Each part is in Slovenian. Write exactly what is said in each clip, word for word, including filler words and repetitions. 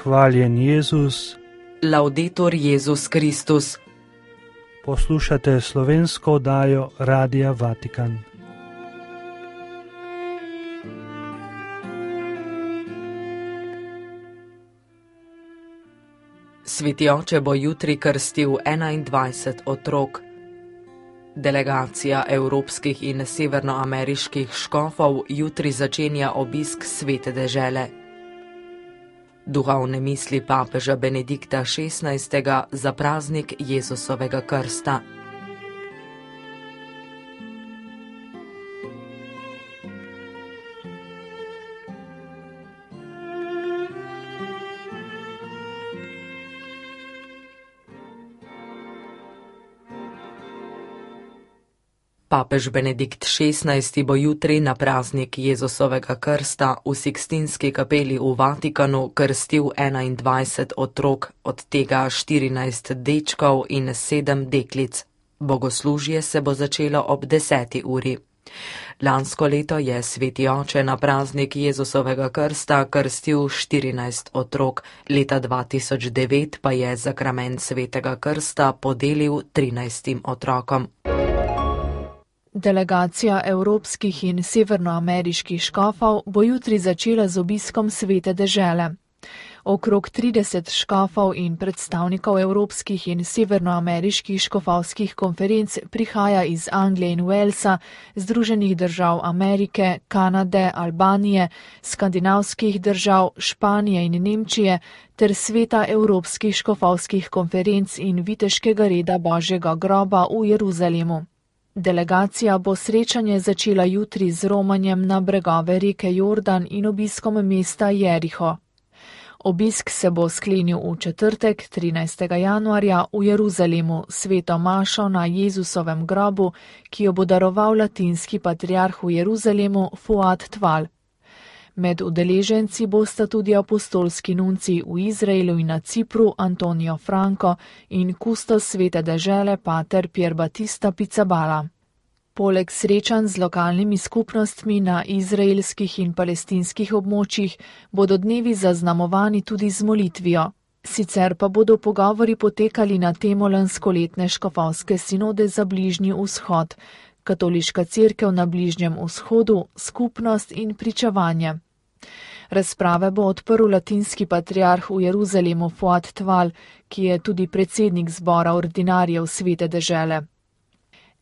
Hvaljen Jezus. Laudetur Jezus Kristus. Poslušate slovensko oddajo Radia Vatikan. Sveti oče bo jutri krstil enaindvajset otrok. Delegacija evropskih in severnoameriških škofov jutri začenja obisk Svete dežele. Duhovne misli papeža Benedikta šestnajstega za praznik Jezusovega krsta. Papež Benedikt šestnajsti bo jutri na praznik Jezusovega krsta v Sikstinski kapeli v Vatikanu krstil enaindvajset otrok, od tega štirinajst dečkov in sedem deklic. Bogoslužje se bo začelo ob deseti uri. Lansko leto je sveti oče na praznik Jezusovega krsta krstil štirinajst otrok, leta dva tisoč devet pa je zakrament svetega krsta podelil trinajstim otrokom. Delegacija evropskih in severnoameriških škofov bo jutri začela z obiskom Svete dežele. Okrog trideset škofov in predstavnikov evropskih in severnoameriških škofovskih konferenc prihaja iz Anglije in Walesa, Združenih držav Amerike, Kanade, Albanije, skandinavskih držav, Španije in Nemčije ter sveta evropskih škofovskih konferenc in viteškega reda Božjega groba v Jeruzalemu. Delegacija bo srečanje začela jutri z romanjem na bregove reke Jordan in obiskom mesta Jeriho. Obisk se bo sklenil v četrtek, trinajstega januarja, v Jeruzalemu, sveto mašo na Jezusovem grobu, ki jo bo daroval latinski patriarh v Jeruzalemu Fuad Tval. Med udeleženci bosta tudi apostolski nunci v Izraelu in na Cipru Antonijo Franco in kustos Svete dežele pater Pier Battista Pizzaballa. Poleg srečanj z lokalnimi skupnostmi na izraelskih in palestinskih območjih bodo dnevi zaznamovani tudi z molitvijo. Sicer pa bodo pogovori potekali na temo lanskoletne škofovske sinode za Bližnji vzhod, Katoliška cerkev na Bližnjem vzhodu, skupnost in pričevanje. Razprave bo odprl latinski patriarh v Jeruzalemu Fuad Tval, ki je tudi predsednik zbora ordinarjev Svete dežele.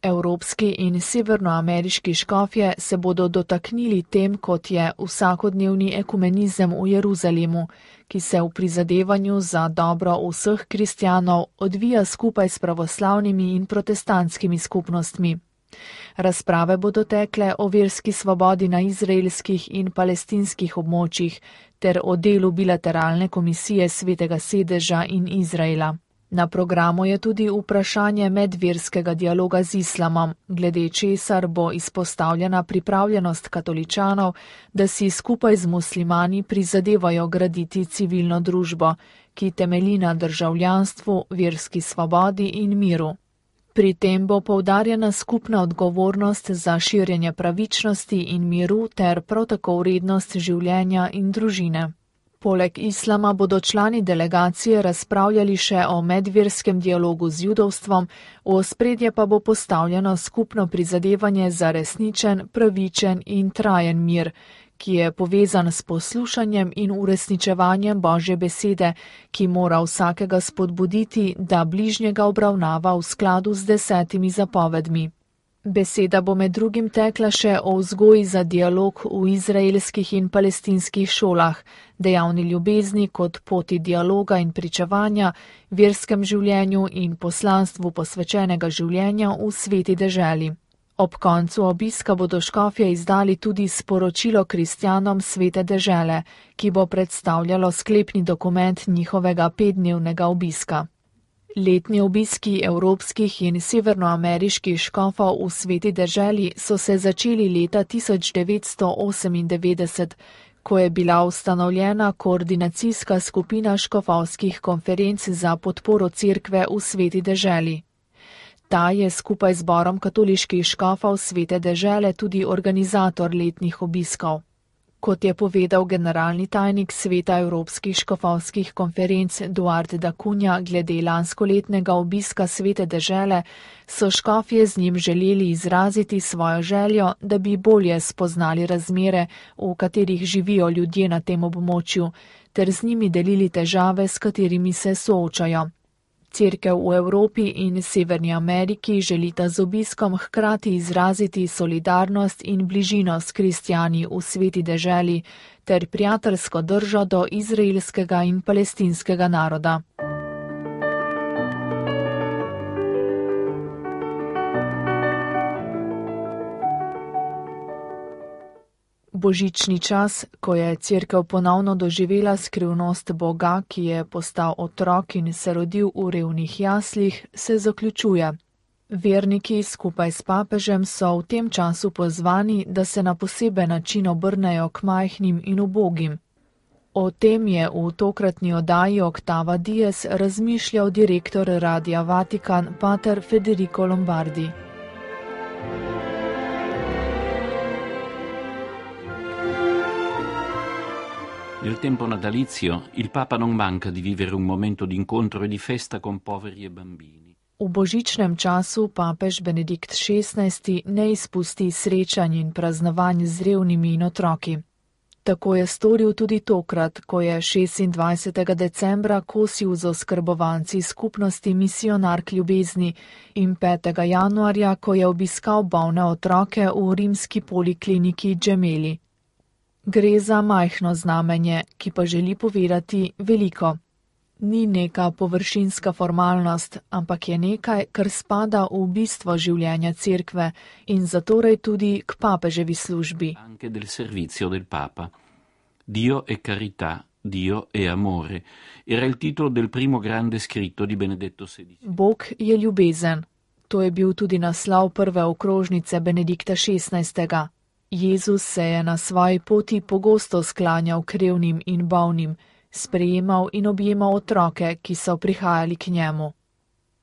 Evropski in severnoameriški škofje se bodo dotaknili tem, kot je vsakodnevni ekumenizem v Jeruzalemu, ki se v prizadevanju za dobro vseh kristjanov odvija skupaj s pravoslavnimi in protestantskimi skupnostmi. Razprave bodo tekle o verski svobodi na izraelskih in palestinskih območjih ter o delu bilateralne komisije Svetega sedeža in Izraela. Na programu je tudi vprašanje medverskega dialoga z islamom, glede česar bo izpostavljena pripravljenost katoličanov, da si skupaj z muslimani prizadevajo graditi civilno družbo, ki temelji na državljanstvu, verski svobodi in miru. Pri tem bo poudarjena skupna odgovornost za širjenje pravičnosti in miru ter prav tako vrednost življenja in družine. Poleg islama bodo člani delegacije razpravljali še o medverskem dialogu z judovstvom, v ospredje pa bo postavljeno skupno prizadevanje za resničen, pravičen in trajen mir, ki je povezan s poslušanjem in uresničevanjem Božje besede, ki mora vsakega spodbuditi, da bližnjega obravnava v skladu z desetimi zapovedmi. Beseda bo med drugim tekla še o vzgoji za dialog v izraelskih in palestinskih šolah, dejavni ljubezni kot poti dialoga in pričevanja, verskem življenju in poslanstvu posvečenega življenja v sveti deželi. Ob koncu obiska bodo škofje izdali tudi sporočilo kristjanom Svete dežele, ki bo predstavljalo sklepni dokument njihovega petdnevnega obiska. Letni obiski evropskih in severnoameriških škofov v Sveti deželi so se začeli leta tisoč devetsto osemindevetdeset, ko je bila ustanovljena koordinacijska skupina škofovskih konferenc za podporo cerkve v Sveti deželi. Ta je skupaj z zborom katoliških škofov Svete dežele tudi organizator letnih obiskov. Kot je povedal generalni tajnik Sveta Evropskih škofovskih konferenc Duarte da Cunha glede lanskoletnega obiska Svete dežele, so škofje z njim želeli izraziti svojo željo, da bi bolje spoznali razmere, v katerih živijo ljudje na tem območju, ter z njimi delili težave, s katerimi se soočajo. Cerkev v Evropi in Severni Ameriki želita z obiskom hkrati izraziti solidarnost in bližino s kristjani v Sveti deželi ter prijateljsko držo do izraelskega in palestinskega naroda. Božični čas, ko je cerkev ponovno doživela skrivnost Boga, ki je postal otrok in se rodil v revnih jaslih, se zaključuje. Verniki skupaj s papežem so v tem času pozvani, da se na poseben način obrnejo k majhnim in ubogim. O tem je v tokratni oddaji Octava Dies razmišljal direktor Radia Vatikan pater Federico Lombardi. Nel tempo natalizio il Papa non manca di vivere un momento di incontro e di festa con poveri e bambini. V božičnem času papež Benedikt šestnajsti ne izpusti srečanj in praznovanj z revnimi in otroki. Tako je storil tudi tokrat, ko je šestindvajsetega decembra kosil z oskrbovanci skupnosti Misionark ljubezni in petega januarja, ko je obiskal bolne otroke v rimski polikliniki Gemelli. Gre za majhno znamenje, ki pa želi povedati veliko. Ni neka površinska formalnost, ampak je nekaj, kar spada v bistvo življenja cerkve in zatorej tudi k papeževi službi. Anche del servizio del Papa. Dio è carità, Dio è amore. Era il titolo del primo grande scritto di Benedetto sedicesimo. Bog je ljubezen. To je bil tudi naslov prve okrožnice Benedikta šestnajstega. Jezus se je na svoji poti pogosto sklanjal k revnim in bolnim, sprejemal in objemal otroke, ki so prihajali k njemu.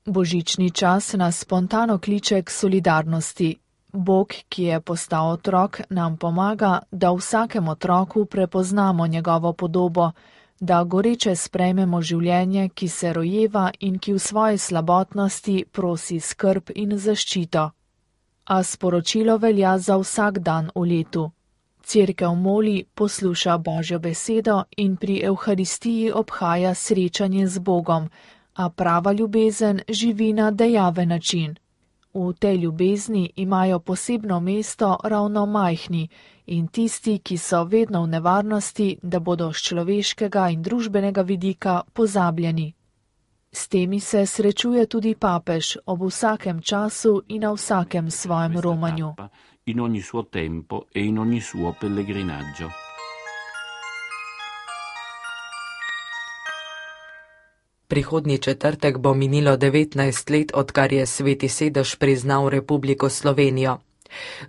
Božični čas nas spontano kliče k solidarnosti. Bog, ki je postal otrok, nam pomaga, da v vsakem otroku prepoznamo njegovo podobo, da goreče sprejmemo življenje, ki se rojeva in ki v svoji slabotnosti prosi skrb in zaščito. A sporočilo velja za vsak dan v letu. Cerkev moli, posluša Božjo besedo in pri Evharistiji obhaja srečanje z Bogom, a prava ljubezen živi na dejaven način. V tej ljubezni imajo posebno mesto ravno majhni in tisti, ki so vedno v nevarnosti, da bodo z človeškega in družbenega vidika pozabljeni. S temi se srečuje tudi papež ob vsakem času in na vsakem svojem romanju. In ogni suo tempo e in ogni suo pellegrinaggio. Prihodnji četrtek bo minilo devetnajst let, odkar je Sveti sedež priznal Republiko Slovenijo.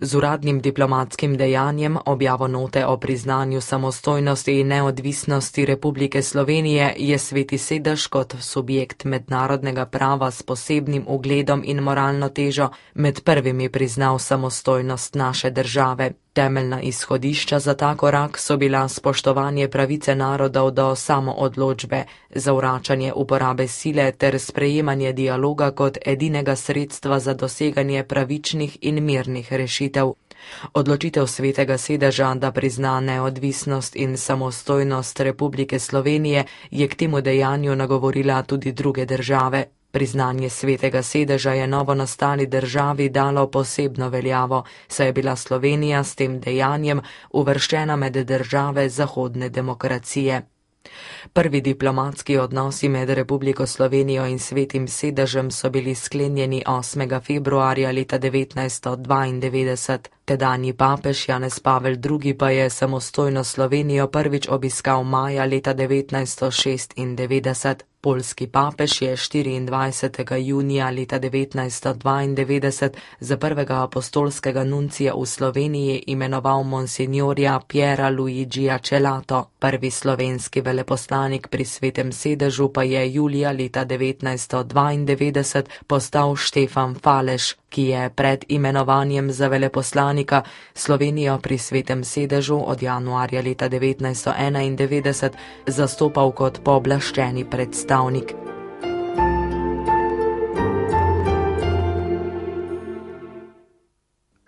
Z uradnim diplomatskim dejanjem, objavo note o priznanju samostojnosti in neodvisnosti Republike Slovenije, je Sveti sedež kot subjekt mednarodnega prava s posebnim ugledom in moralno težo med prvimi priznal samostojnost naše države. Temeljna izhodišča za ta korak so bila spoštovanje pravice narodov do samoodločbe, zavračanje uporabe sile ter sprejemanje dialoga kot edinega sredstva za doseganje pravičnih in mirnih rešitev. Odločitev Svetega sedeža, da prizna neodvisnost in samostojnost Republike Slovenije, je k temu dejanju nagovorila tudi druge države. Priznanje Svetega sedeža je novo nastali državi dalo posebno veljavo, saj je bila Slovenija s tem dejanjem uvrščena med države zahodne demokracije. Prvi diplomatski odnosi med Republiko Slovenijo in Svetim sedežem so bili sklenjeni osmega februarja leta devetnajststo dvaindevetdeset. Tedanji papež Janez Pavel drugi pa je samostojno Slovenijo prvič obiskal maja leta devetnajststo šestindevetdeset. Poljski papež je štiriindvajsetega junija leta devetnajststo dvaindevetdeset za prvega apostolskega nuncija v Sloveniji imenoval monsignorja Piera Luigija Celato. Prvi slovenski veleposlanik pri Svetem sedežu pa je julija leta devetnajststo dvaindevetdeset postal Štefan Faleš. ki je pred imenovanjem za veleposlanika Slovenijo pri Svetem sedežu od januarja leta devetnajststo enaindevetdeset zastopal kot pooblaščeni predstavnik.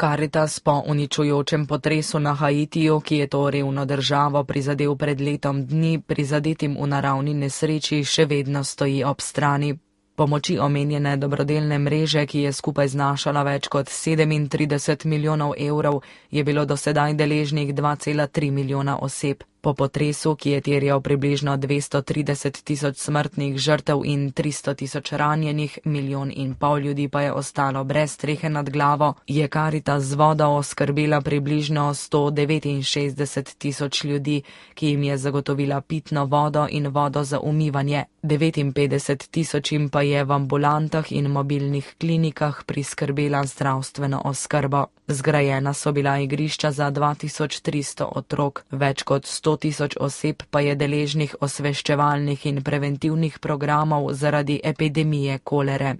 Karitas po uničujočem potresu na Haitiju, ki je to revno državo prizadel pred letom dni, prizadetim v naravni nesreči, še vedno stoji ob strani. Pomoči omenjene dobrodelne mreže, ki je skupaj znašala več kot sedemintrideset milijonov evrov, je bilo do sedaj deležnih dva cela tri milijona oseb. Po potresu, ki je terjal približno dvesto trideset tisoč smrtnih žrtev in tristo tisoč ranjenih, milijon in pol ljudi pa je ostalo brez strehe nad glavo, je Karitas z vodo oskrbela približno sto devetinšestdeset tisoč ljudi, ki jim je zagotovila pitno vodo in vodo za umivanje. devetinpetdeset tisočim pa je v ambulantah in mobilnih klinikah priskrbela zdravstveno oskrbo. Zgrajena so bila igrišča za dva tisoč tristo otrok, več kot sto tisoč oseb pa je deležnih osveščevalnih in preventivnih programov zaradi epidemije kolere.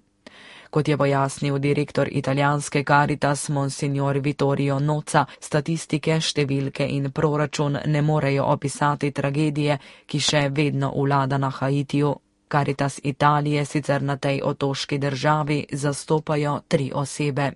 Kot je pojasnil direktor italijanske Caritas Monsignor Vittorio Nozza, statistike, številke in proračun ne morejo opisati tragedije, ki še vedno vlada na Haitiju. Caritas Italije sicer na tej otoški državi zastopajo tri osebe.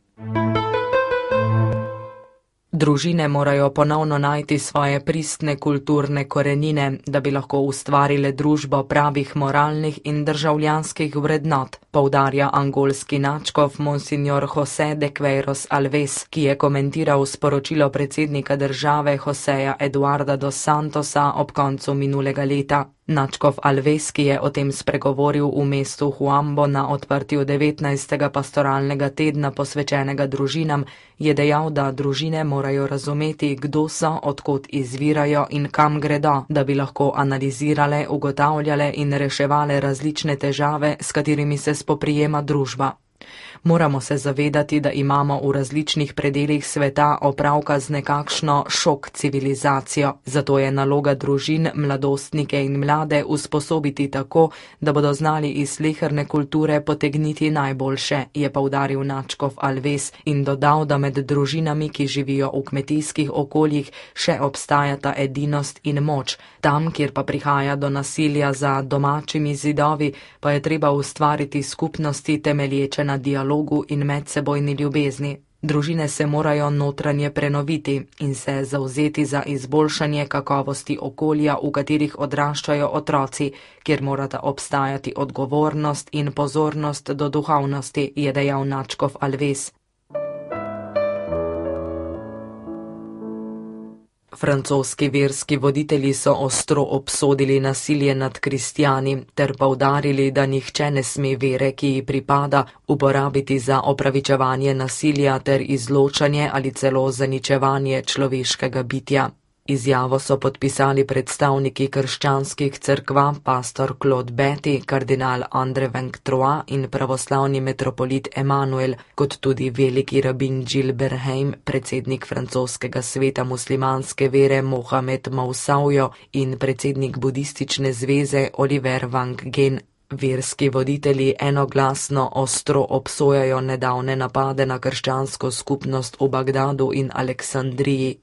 Družine morajo ponovno najti svoje pristne kulturne korenine, da bi lahko ustvarile družbo pravih moralnih in državljanskih vrednot, poudarja angolski nadškof Monsignor José de Queiroz Alves, ki je komentiral sporočilo predsednika države Joseja Eduarda dos Santosa ob koncu minulega leta. Nadškof Alves, ki je o tem spregovoril v mestu Huambo na odprtju devetnajstega pastoralnega tedna posvečenega družinam, je dejal, da družine morajo razumeti, kdo so, odkot izvirajo in kam gredo, da bi lahko analizirale, ugotavljale in reševale različne težave, s katerimi se spoprijema družba. Moramo se zavedati, da imamo v različnih predelih sveta opravka z nekakšno šok civilizacijo. Zato je naloga družin, mladostnike in mlade usposobiti tako, da bodo znali iz sleherne kulture potegniti najboljše, je poudaril nadškof Alves in dodal, da med družinami, ki živijo v kmetijskih okoljih, še obstajata edinost in moč. Tam, kjer pa prihaja do nasilja za domačimi zidovi, pa je treba ustvariti skupnosti temelječe na dialogu in medsebojni ljubezni. Družine se morajo notranje prenoviti in se zavzeti za izboljšanje kakovosti okolja, v katerih odraščajo otroci, kjer morata obstajati odgovornost in pozornost do duhovnosti, je dejal nadškof Alves. Francoski verski voditelji so ostro obsodili nasilje nad kristjani ter poudarili, da nihče ne sme vere, ki ji pripada, uporabiti za opravičevanje nasilja ter izločanje ali celo zaničevanje človeškega bitja. Izjavo so podpisali predstavniki krščanskih cerkva, pastor Claude Betty, kardinal Andre Vengtroa in pravoslavni metropolit Emanuel, kot tudi veliki rabin Gilles Berheim, predsednik francoskega sveta muslimanske vere Mohamed Moussaouyo in predsednik budistične zveze Oliver Wang Gen. Verski voditelji enoglasno ostro obsojajo nedavne napade na krščansko skupnost v Bagdadu in Aleksandriji.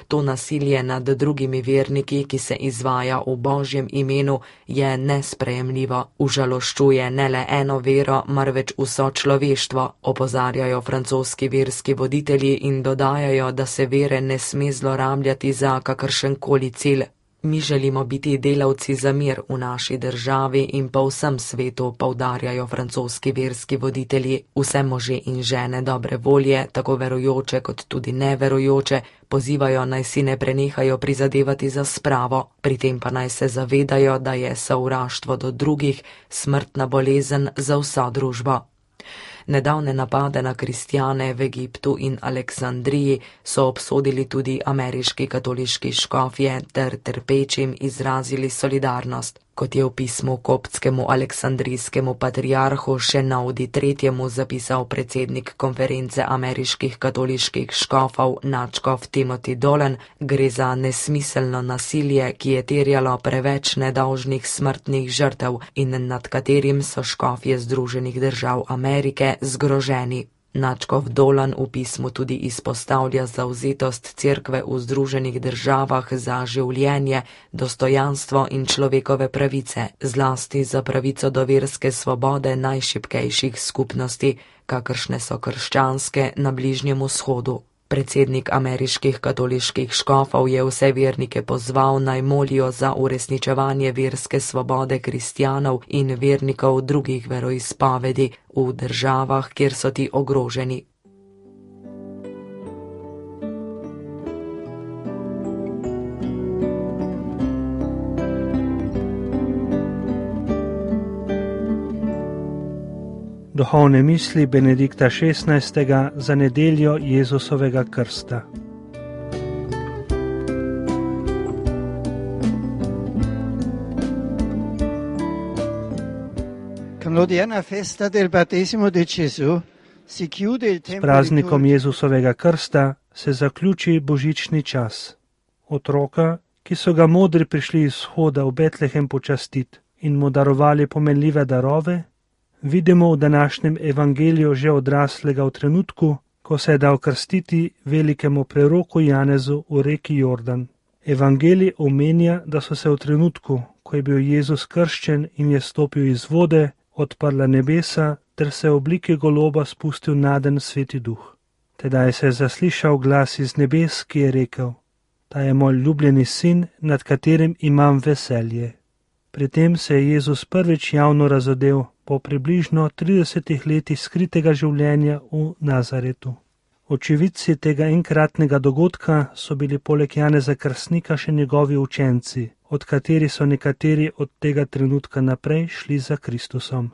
To nasilje nad drugimi verniki, ki se izvaja v Božjem imenu, je nesprejemljivo. Užaloščuje ne le eno vero, marveč vso človeštvo, opozarjajo francoski verski voditelji in dodajajo, da se vere ne sme zlorabljati za kakršenkoli cilj. Mi želimo biti delavci za mir v naši državi in po vsem svetu, poudarjajo francoski verski voditelji. Vse može in žene dobre volje, tako verujoče kot tudi neverujoče, pozivajo naj si ne prenehajo prizadevati za spravo, pri tem pa naj se zavedajo, da je sovraštvo do drugih smrtna bolezen za vso družbo. Nedavne napade na kristjane v Egiptu in Aleksandriji so obsodili tudi ameriški katoliški škofje ter trpečim izrazili solidarnost. Kot je v pismu koptskemu aleksandrijskemu patriarhu Šenaudi tretjemu zapisal predsednik konference ameriških katoliških škofov nadškof Timothy Dolan, gre za nesmiselno nasilje, ki je terjalo preveč nedolžnih smrtnih žrtev in nad katerim so škofje Združenih držav Amerike zgroženi. Nadškof Dolan v pismu tudi izpostavlja zavzetost cerkve v Združenih državah za življenje, dostojanstvo in človekove pravice, zlasti za pravico do verske svobode najšibkejših skupnosti, kakršne so krščanske na Bližnjem vzhodu. Predsednik ameriških katoliških škofov je vse vernike pozval, naj molijo za uresničevanje verske svobode kristjanov in vernikov drugih veroizpovedi v državah, kjer so ti ogroženi. Duhovne misli Benedikta šestnajstega za nedeljo Jezusovega krsta. S praznikom Jezusovega krsta se zaključi božični čas. Otroka, ki so ga modri prišli iz vzhoda v Betlehem počastit in mu darovali pomenljive darove, vidimo v današnjem evangeliju že odraslega v trenutku, ko se je dal krstiti velikemu preroku Janezu v reki Jordan. Evangelij omenja, da so se v trenutku, ko je bil Jezus krščen in je stopil iz vode, odprla nebesa ter se v obliki goloba spustil naden Sveti Duh. Tedaj se je zaslišal glas iz nebes, ki je rekel: Ta je moj ljubljeni sin, nad katerim imam veselje. Pri tem se je Jezus prvič javno razodel po približno tridesetih letih skritega življenja v Nazaretu. Očividci tega enkratnega dogodka so bili poleg Janeza Krstnika še njegovi učenci, od katerih so nekateri od tega trenutka naprej šli za Kristusom.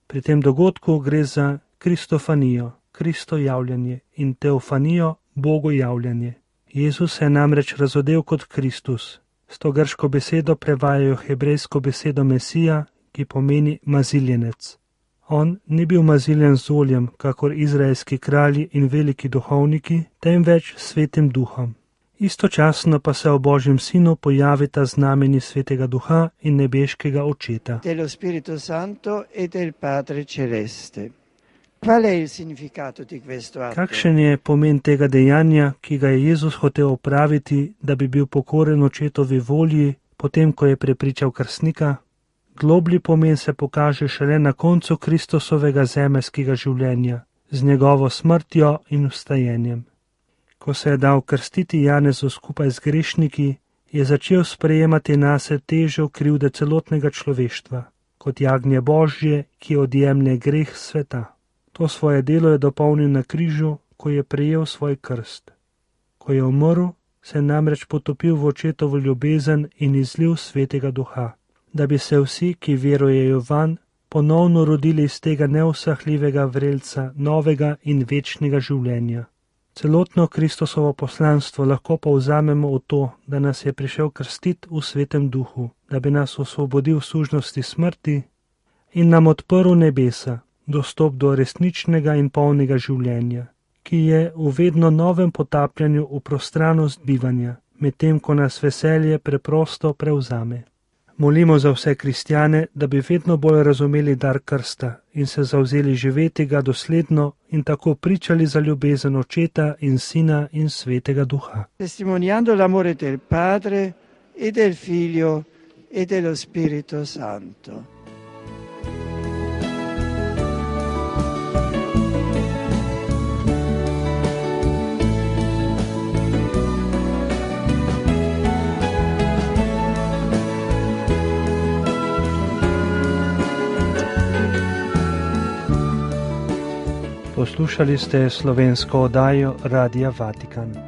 Pri tem dogodku gre za kristofanijo, Kristo javljanje in teofanijo, Bogu javljanje. Jezus se je namreč razodel kot Kristus. S to grško besedo prevajajo hebrejsko besedo Mesija, ki pomeni maziljenec. On ni bil maziljen z oljem, kakor izraelski kralji in veliki duhovniki, temveč svetim duhom. Istočasno pa se v Božjem sinu pojavita znamenji Svetega Duha in nebeškega Očeta. Dello Spirito Santo e del Padre Celeste. Qual è il significato di questo atto? Kakšen je pomen tega dejanja, ki ga je Jezus hotel opraviti, da bi bil pokoren Očetovi volji, potem ko je prepričal krstnika? Globlji pomen se pokaže šele na koncu Kristusovega zemeljskega življenja, z njegovo smrtjo in vstajenjem. Ko se je dal krstiti Janezu skupaj z grešniki, je začel sprejemati nase težo krivde celotnega človeštva, kot jagnje Božje, ki odjemlje greh sveta. To svoje delo je dopolnil na križu, ko je prejel svoj krst. Ko je umrl, se je namreč potopil v Očetovo ljubezen in izlil Svetega Duha, da bi se vsi, ki verujejo vanj, ponovno rodili iz tega neusahljivega vrelca novega in večnega življenja. Celotno Kristusovo poslanstvo lahko povzamemo v to, da nas je prišel krstiti v Svetem Duhu, da bi nas osvobodil sužnosti smrti in nam odprl nebesa, dostop do resničnega in polnega življenja, ki je v vedno novem potapljanju v prostranost bivanja, medtem ko nas veselje preprosto prevzame. Molimo za vse kristjane, da bi vedno bolj razumeli dar krsta in se zavzeli živeti ga dosledno in tako pričali za ljubezen Očeta in Sina in Svetega Duha. Testimoniando l'amore del Padre e del Figlio e dello Spirito Santo. Poslušali ste slovensko oddajo Radia Vatikan.